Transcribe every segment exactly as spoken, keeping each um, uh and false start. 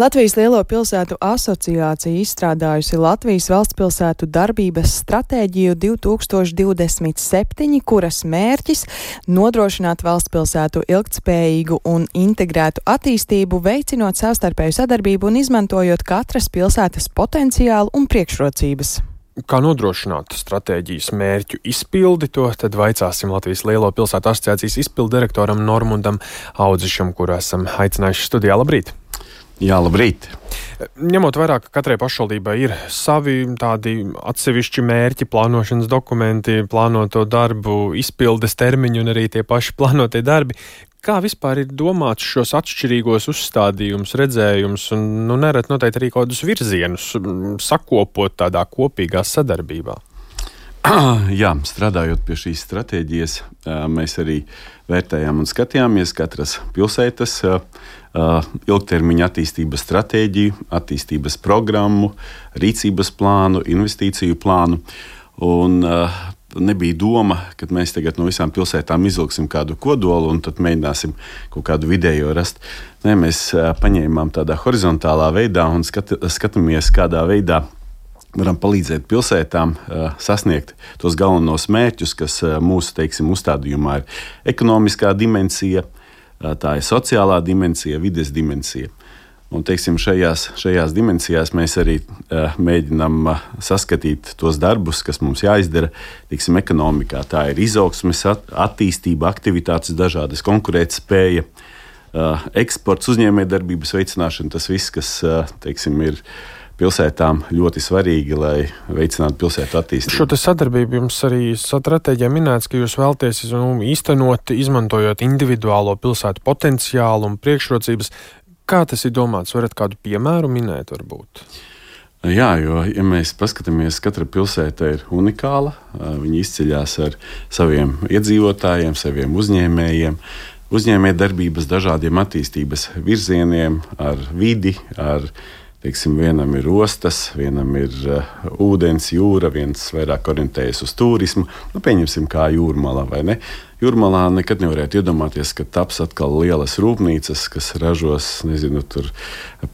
Latvijas Lielo pilsētu asociācija izstrādājusi Latvijas valstspilsētu darbības stratēģiju divi tūkstoši divdesmit septiņi, kuras mērķis nodrošināt valstspilsētu ilgtspējīgu un integrētu attīstību, veicinot savstarpēju sadarbību un izmantojot katras pilsētas potenciālu un priekšrocības. Kā nodrošināt stratēģijas mērķu izpildi, to tad vaicāsim Latvijas Lielo pilsētu asociācijas izpildu direktoram Normundam Audzišam, kuru esam aicinājuši studijā. Labrīt! Jā, labrīt! Ņemot vērā, ka katrai pašvaldībai ir savi tādi atsevišķi mērķi, plānošanas dokumenti, plānoto darbu, izpildes termiņi un arī tie paši plānotie darbi, kā vispār ir domāts šos atšķirīgos uzstādījumus, redzējumus un, nu, nereti noteikti arī kādus virzienus sakopot tādā kopīgā sadarbībā? Jā, strādājot pie šīs stratēģijas, mēs arī vērtējām un skatījāmies katras pilsētas ilgtermiņa attīstības stratēģiju, attīstības programmu, rīcības plānu, investīciju plānu. Un nebija doma, ka mēs tagad no visām pilsētām izvilksim kādu kodolu un tad mēģināsim kaut kādu vidējo rast. Nē, mēs paņēmām tādā horizontālā veidā un skat, skatāmies, kādā veidā varam palīdzēt pilsētām uh, sasniegt tos galvenos mērķus, kas uh, mūsu, teiksim, uzstādījumā ir ekonomiskā dimensija, uh, tā ir sociālā dimensija, vides dimensija. Un, teiksim, šajās, šajās dimensijās mēs arī uh, mēģinām uh, saskatīt tos darbus, kas mums jāizdara, teiksim, ekonomikā. Tā ir izaugsmes, at, attīstība, aktivitātes dažādas, konkurētspēja, uh, eksports, uzņēmējdarbības veicināšana, tas viss, kas, uh, teiksim, ir pilsētām ļoti svarīgi, lai veicinātu pilsētu attīstību. Šo te sadarbību jums arī stratēģijā minēts, ka jūs vēlaties nu, īstenot, izmantojot individuālo pilsētu potenciālu un priekšrocības. Kā tas ir domāts? Varat kādu piemēru minēt varbūt? Jā, jo, ja mēs paskatāmies, katra pilsēta ir unikāla, viņi izceļās ar saviem iedzīvotājiem, saviem uzņēmējiem, uzņēmējdarbības dažādiem attīstības virzieniem, ar vidi, ar Teiksim, vienam ir ostas, vienam ir uh, ūdens, jūra, viens vairāk orientējas uz turismu. Nu, pieņemsim, kā Jūrmalā, vai ne? Jūrmalā nekad nevarētu iedomāties, ka taps atkal lielas rūpnīcas, kas ražos, nezinu, tur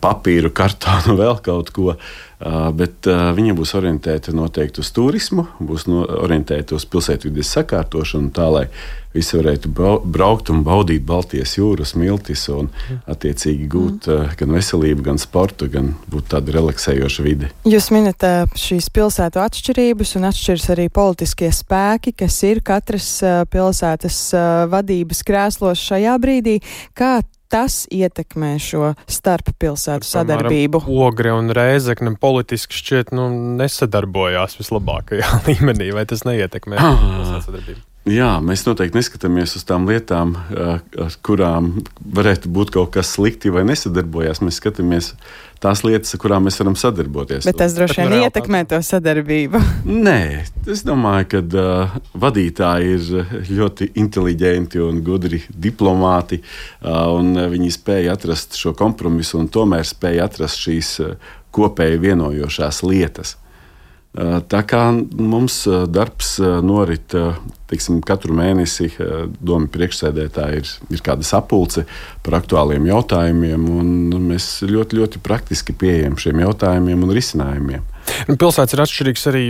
papīru, kartonu, vēl kaut ko. Uh, bet uh, viņa būs orientēta noteikti uz turismu, būs no, orientēta uz pilsētvides sakārtošanu, tā lai visi varētu braukt un baudīt Baltijas jūras miltis un attiecīgi gūt uh, gan veselību, gan sportu, gan būt tāda relaksējoša vide. Jūs minat uh, šīs pilsētu atšķirības un atšķiras arī politiskie spēki, kas ir katras uh, pilsētas uh, vadības krēslos šajā brīdī. Kā tas ietekmē šo starp pilsētu sadarbību? Ogre un Rēzekne politiski šķiet nu, nesadarbojās vislabākajā līmenī, vai tas neietekmē pilsētu sadarbību? Jā, mēs noteikti neskatāmies uz tām lietām, ar kurām varētu būt kaut kas slikti vai nesadarbojās. Mēs skatāmies tās lietas, ar kurām mēs varam sadarboties. Bet tas droši vien ietekmē to sadarbību. Nē, es domāju, ka uh, vadītāji ir ļoti inteliģenti un gudri diplomāti, uh, un viņi spēja atrast šo kompromisu un tomēr spēja atrast šīs uh, kopēji vienojošās lietas. Tā kā mums darbs norit, teiksim, katru mēnesi doma priekšsēdētāji ir, ir kāda sapulce par aktuāliem jautājumiem, un mēs ļoti, ļoti praktiski pieejam šiem jautājumiem un risinājumiem. Pilsētas ir atšķirīgs arī,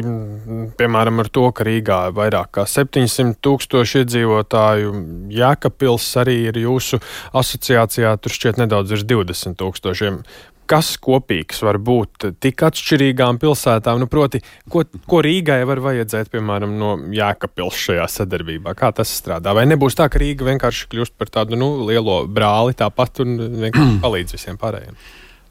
piemēram, ar to, ka Rīgā ir vairāk kā septiņsimt tūkstoši iedzīvotāju. Jēkabpils arī ir jūsu asociācijā, tur šķiet nedaudz virs divdesmit tūkstošiem. Kas kopīgs var būt tik atšķirīgām pilsētām? Nu, proti, ko, ko Rīgai var vajadzēt, piemēram, no Jēkabpils šajā sadarbībā? Kā tas strādā? Vai nebūs tā, ka Rīga vienkārši kļūst par tādu nu, lielo brāli tāpat un vienkārši palīdz visiem pārējiem?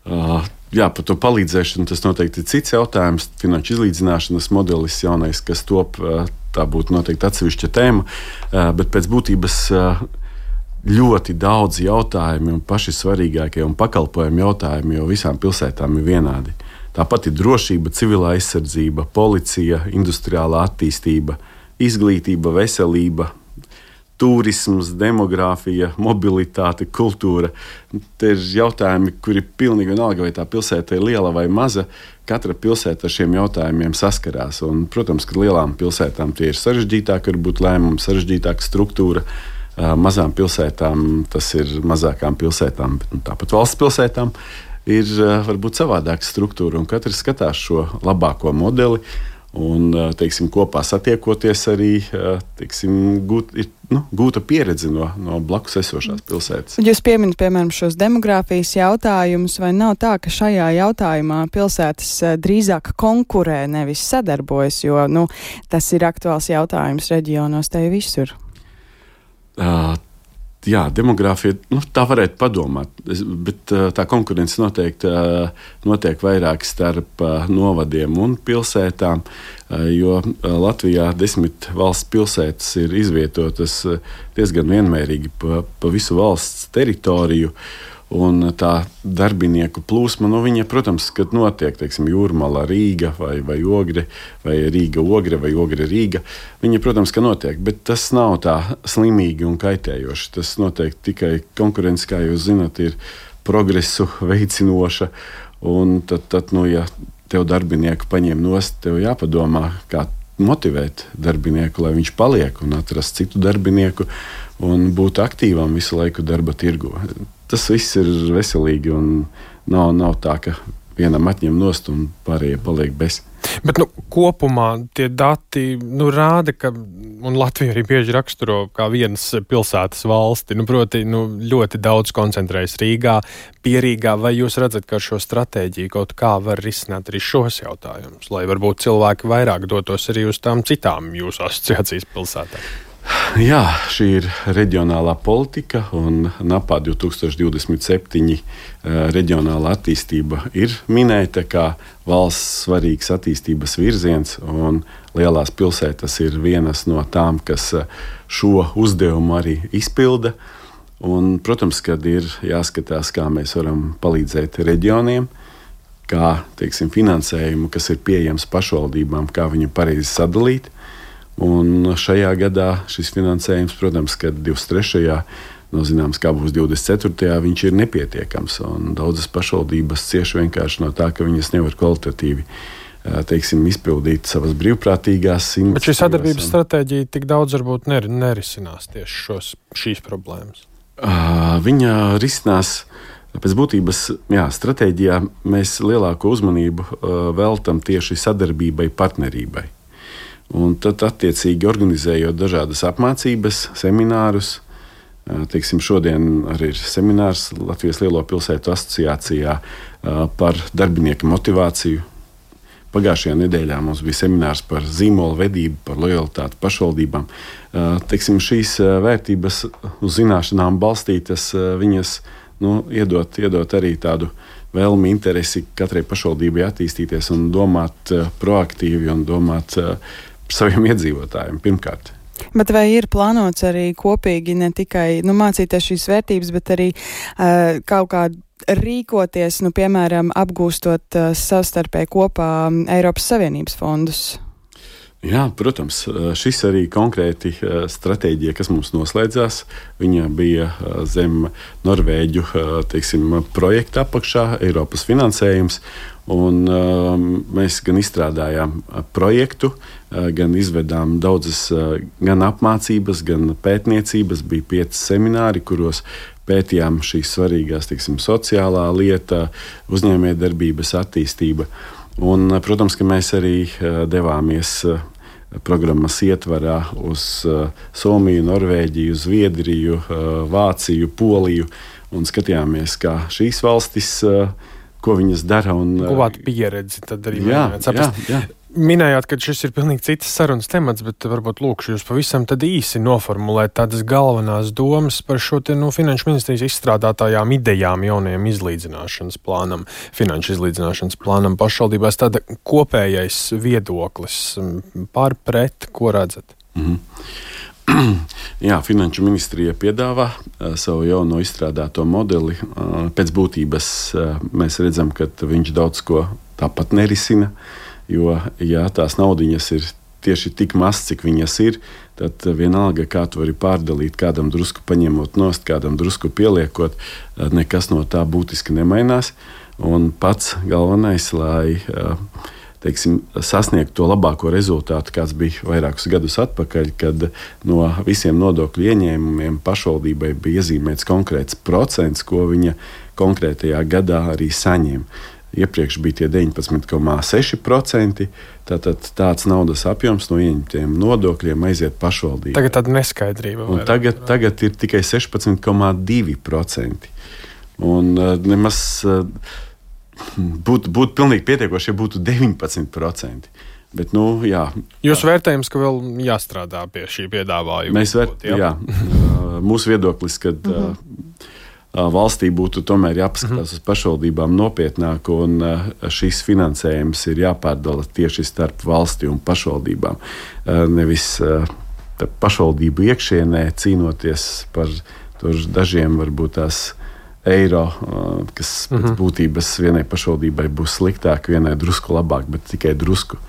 Uh, jā, par to palīdzēšanu tas noteikti ir cits jautājums. Finanšu izlīdzināšanas modelis jaunais, kas top, uh, tā būtu noteikti atsevišķa tēma, uh, bet pēc būtības uh, ļoti daudz jautājumi un paši svarīgākie un pakalpojumu jautājumi, jo visām pilsētām ir vienādi. Tāpat ir drošība, civilā aizsardzība, policija, industriālā attīstība, izglītība, veselība, turisms, demogrāfija, mobilitāte, kultūra. Te ir jautājumi, kuri pilnīgi vienalga, vai tā pilsēta ir liela vai maza. Katra pilsēta ar šiem jautājumiem saskarās. Un, protams, ka lielām pilsētām tie ir sarežģītāki, varbūt lēmumi, sarežģītāka struktūra. Mazām pilsētām tas ir mazākām pilsētām, bet nu, tāpat valsts pilsētām. ir varbūt savādāka struktūra, un katrs skatās šo labāko modeli. Un, teiksim, kopā satiekoties arī teiksim, gūt, ir, nu, gūta pieredze no, no blakus esošās pilsētas. Jūs pieminat, piemēram, šos demogrāfijas jautājumus, vai nav tā, ka šajā jautājumā pilsētas drīzāk konkurē, nevis sadarbojas, jo nu, tas ir aktuāls jautājums reģionos te visur? Uh, Jā, demogrāfija, nu, tā varētu padomāt, bet tā konkurence noteikti notiek vairāk starp novadiem un pilsētām, jo Latvijā desmit valsts pilsētas ir izvietotas diezgan vienmērīgi pa, pa visu valsts teritoriju. Un tā darbinieku plūsma, nu, viņa, protams, kad notiek, teiksim, Jūrmala, Rīga vai, vai Ogre, vai Rīga, Ogre vai Ogre, Rīga, viņa, protams, ka notiek, bet tas nav tā slimīgi un kaitējoši. Tas notiek tikai konkurence, kā jūs zināt, ir progresu veicinoša, un tad, tad nu, ja tev darbinieku paņem nost, tev jāpadomā, kā motivēt darbinieku, lai viņš paliek un atrast citu darbinieku un būt aktīvam visu laiku darba tirgu. Tas viss ir veselīgi un nav, nav tā, ka vienam atņem nost un pārējie paliek bez. Bet nu, kopumā tie dati nu, rāda, ka un Latvija arī bieži raksturo kā vienas pilsētas valsti. Nu, proti, nu, ļoti daudz koncentrējas Rīgā, pie Rīgā. Vai jūs redzat, ka ar šo stratēģiju kaut kā var risināt arī šos jautājumus, lai varbūt cilvēki vairāk dotos arī uz tām citām jūsu asociācijas pilsētām? Jā, šī ir reģionālā politika, un NAPA divtūkstoš divdesmit septiņi reģionālā attīstība ir minēta kā valsts svarīgs attīstības virziens, un lielās pilsētas ir vienas no tām, kas šo uzdevumu arī izpilda. Un, protams, kad ir jāskatās, kā mēs varam palīdzēt reģioniem, kā, teiksim, finansējumu, kas ir pieejams pašvaldībām, kā viņu pareizi sadalīt. Un šajā gadā šis finansējums, protams, kad divdesmit trešajā no zināms, kā būs divdesmit ceturtajā viņš ir nepietiekams. Un daudzas pašvaldības cieši vienkārši no tā, ka viņas nevar kvalitatīvi teiksim, izpildīt savas brīvprātīgās iniciatīvas. Bet šī sadarbības stratēģija tik daudz varbūt ner- nerisinās tieši šos, šīs problēmas? Uh, viņa risinās pēc būtības, jā, stratēģijā mēs lielāko uzmanību uh, veltam tieši sadarbībai, partnerībai. Un tad, attiecīgi, organizējot dažādas apmācības, seminārus, teiksim, šodien arī ir seminārs Latvijas Lielo pilsētu asociācijā par darbinieku motivāciju. Pagājušajā nedēļā mums bija seminārs par zīmolu vedību, par lojalitāti pašvaldībām. Teiksim, šīs vērtības uz zināšanām balstītas, viņas nu, iedot, iedot arī tādu vēlmi, interesi katrai pašvaldībai attīstīties un domāt proaktīvi un domāt saviem iedzīvotājiem pirmkārt. Bet vai ir plānots arī kopīgi ne tikai nu, mācīties šīs vērtības, bet arī uh, kaut kā rīkoties, nu, piemēram, apgūstot uh, savstarpēji kopā Eiropas Savienības fondus? Jā, protams, šis arī konkrēti stratēģija, kas mums noslēdzās, viņa bija zem Norvēģu teiksim, projekta apakšā, Eiropas finansējums, un mēs gan izstrādājām projektu, gan izvedām daudzas gan apmācības, gan pētniecības, bija pieci semināri, kuros pētījām šīs svarīgās, teiksim, sociālā lieta, uzņēmējdarbības attīstība. Un, protams, ka mēs arī devāmies programmas ietvarā uz Somiju, Norvēģiju, Zviedriju, Vāciju, Poliju un skatījāmies, kā šīs valstis, ko viņas dara. Guvāt pieredzi, tad arī jā, mēģināt saprast. Jā, jā. Minējāt, ka šis ir pilnīgi citas sarunas temats, bet varbūt lūkšu jūs pavisam tad īsi noformulēt tādas galvenās domas par šo te, nu, Finanšu ministrijas izstrādātājām idejām jaunajam izlīdzināšanas plānam, finanšu izlīdzināšanas plānam pašvaldībās, tāda kopējais viedoklis par pret, ko redzat? Mm-hmm. Jā, Finanšu ministrija piedāvā uh, savu jauno izstrādāto modeli. Uh, pēc būtības uh, mēs redzam, ka viņš daudz ko tāpat nerisina. Jo, ja tās naudiņas ir tieši tik maz, cik viņas ir, tad vienalga, kā tu vari pārdalīt, kādam drusku paņemot nost, kādam drusku pieliekot, nekas no tā būtiski nemainās. Un pats galvenais, lai teiksim, sasniegtu to labāko rezultātu, kāds bija vairākus gadus atpakaļ, kad no visiem nodokļu ieņēmumiem pašvaldībai bija iezīmēts konkrēts procents, ko viņa konkrētajā gadā arī saņem. Iepriekš bija tie deviņpadsmit komā seši procenti. Tātad tāds naudas apjoms no ieņemtiem nodokļiem aiziet pašvaldībai. Tagad tāda neskaidrība. Tagad, tagad ir tikai sešpadsmit komā divi procenti. Un uh, nemaz uh, būtu būt pilnīgi pietiekoši, ja būtu deviņpadsmit procenti. Bet, nu, jā. Jūsu vērtējums, ka vēl jāstrādā pie šī piedāvājuma? Mēs vērtējam, jā. jā. Mūsu viedoklis, ka uh, valstī būtu tomēr jāpaskatās uz pašvaldībām nopietnāk, un šīs finansējums ir jāpārdala tieši starp valsti un pašvaldībām. Nevis pašvaldību iekšienē cīnoties par dažiem varbūt tās eiro, kas pēc būtības vienai pašvaldībai būs sliktāk, vienai drusku labāk, bet tikai drusku.